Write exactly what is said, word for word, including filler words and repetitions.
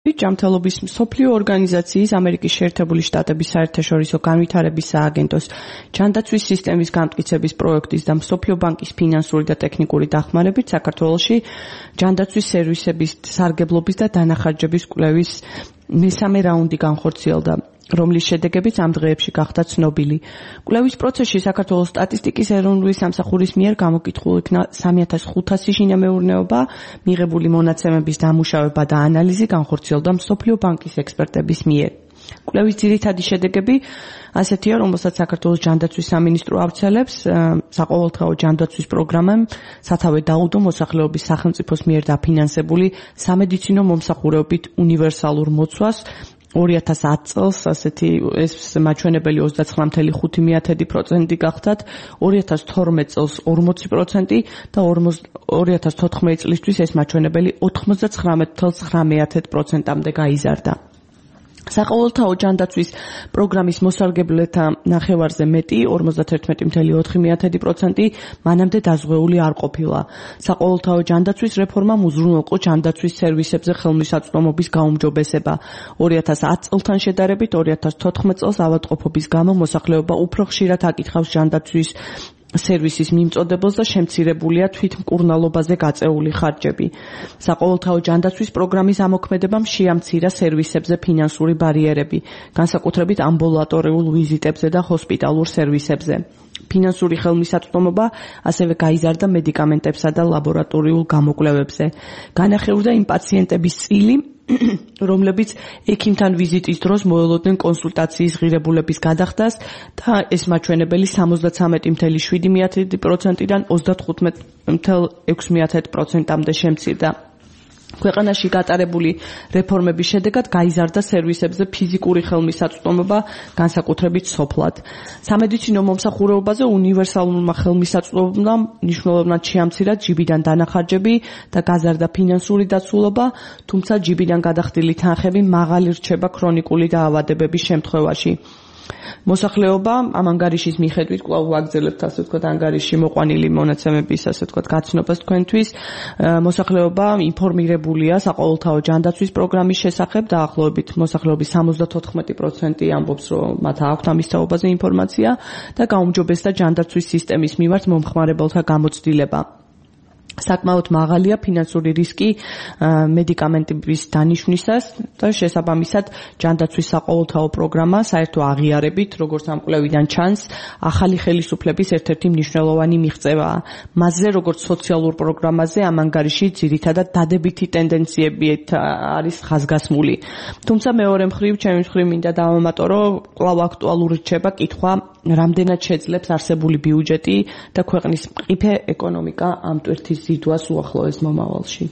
ჯანმრთელობის მსოფლიო ორგანიზაციის ამერიკის შეერთებული შტატების საერთაშორისო განვითარების სააგენტოს ჯანდაცვის სისტემის გამტკიცების პროექტის და მსოფლიო ბანკის ფინანსური და ტექნიკური დახმარებით საქართველოში ჯანდაცვის სერვისების სარგებლობის და დანახარჯების კვლევის მესამე რაუნდი განხორციელდა, რომლის შედეგებიც ამ დღეებში გახდა ცნობილი. კვლევის პროცესში საქართველოს სტატისტიკის ეროვნული სამსახურის მიერ გამოკითხულ იქნა სამი ათას ხუთასი შინამეურნეობა, მიღებული მონაცემების დამუშავება და ანალიზი განხორციელდა მსოფლიო ბანკის ექსპერტების მიერ. კვლევის ძირითადი შედეგები ასეთია, რომელსაც საქართველოს ჯანდაცვის სამინისტრო ავრცელებს, საყოველთაო ჯანდაცვის პროგრამამ სათავე დაუდო მოსახლეობის სახელმწიფოს მიერ დაფინანსებული სამედიცინო მომსახურებით უნივერსალურ მოცვას ორი ათას ათი წელს ასეთი ეს მაჩვენებელი ოცდაცხრა წუთი ხუთი პროცენტი გახდათ, ორი ათას თორმეტ წელს ორმოცი პროცენტი და ორი ათას თოთხმეტი წლისთვის ეს მაჩვენებელი ოთხმოცდაცხრამეტ წუთი ცხრა პროცენტამდე გაიზარდა. საყოველთაო ჯანდაცვის პროგრამის მოსარგებლეთა ნახევარზე მეტი, ორმოცდაერთმეტი წუთი ოთხი პროცენტი მანამდე დაზღვეული არ ყოფილა. საყოველთაო ჯანდაცვის რეფორმამ უზრუნველყო ჯანდაცვის სერვისებზე ხელმისაწვდომობის გაუმჯობესება. ორი ათას ათი წელთან შედარებით ორი ათას თოთხმეტ წელს ავადმყოფობის გამო მოსახლეობა უფრო ხშირად აკითხავს ჯანდაცვის სერვისის მიმწოდებელს და შემცირებულია თვითმკურნალობაზე გაწეული ხარჯები. საყოველთაო ჯანდაცვის პროგრამის ამოქმედებამ შეამცირა სერვისებზე ფინანსური ბარიერები, განსაკუთრებით ამბულატორიულ ვიზიტებზე და ჰოსპიტალურ სერვისებზე. ფინანსური ხელმისაწვდომობა ასევე გაიზარდა მედიკამენტებსა და ლაბორატორიულ გამოკვლევებზე. განახევრდა იმ პაციენტების წილი, რომლებიც ექიმთან ვიზიტის დროს მოელოდნენ კონსულტაციის ღირებულების გადახდას და ეს მაჩვენებელი სამოცდაცამეტი წუთი შვიდი პროცენტიდან ოცდათხუთმეტი წუთი ექვსი პროცენტამდე შემცირდა. ქვეყანაში გატარებული რეფორმების შედეგად გაიზარდა სერვისებზე ფიზიკური ხელმისაწვდომობა, განსაკუთრებით სოფლად. სამედიცინო მომსახურებაზე უნივერსალურმა ხელმისაწვდომობამ მნიშვნელოვნად შეამცირა ჯიბიდან დანახარჯები და გაზარდა ფინანსური დაცულობა, თუმცა ჯიბიდან გადახდილი თანხები მაღალი რჩება ქრონიკული დაავადებების შემთხვევაში. მოსახლეობა ამ ანგარიშის მიხედვით კვლავ ვაგრძელებთ ასე ვთქვათ ანგარიში მოყვანილი მონაცემების ასე ვთქვათ გაცნობას თქვენთვის. მოსახლეობა ინფორმირებულია საყოველთაო ჯანდაცვის პროგრამის შესახებ, დაახლოებით მოსახლეობის სამოცდათოთხმეტი პროცენტი ამბობს, რომ მათ აქვთ ამის თაობაზე ინფორმაცია და გაუმჯობესდა ჯანდაცვის სისტემის მიმართ მომხმარებელთა გამოცდილება. საკმაოდ მაღალია ფინანსური რისკი მედიკამენტების დანიშვნისას და შესაბამისად ჯანდაცვის საყოველთაო პროგრამა საერთო აღიარებით, როგორც ამ კვლევიდან ჩანს, ახალი ხელისუფლების ერთ-ერთი მნიშვნელოვანი მიღწევაა. მასზე, როგორც სოციალურ პროგრამაზე, ამ ანგარიში ძირითადად დადებითი ტენდენციებით არის ხაზგასმული. თუმცა მეორე მხრივ, ჩემი მხრივ მინდა დავამატო, კვლავ აქტუალური რჩება კითხვა, რამდენად შეძლებს არსებული ბიუჯეტი და ქვეყნის მყიფე ეკონომიკა ამ ტვირთის ზიდვას უახლოეს მომავალში.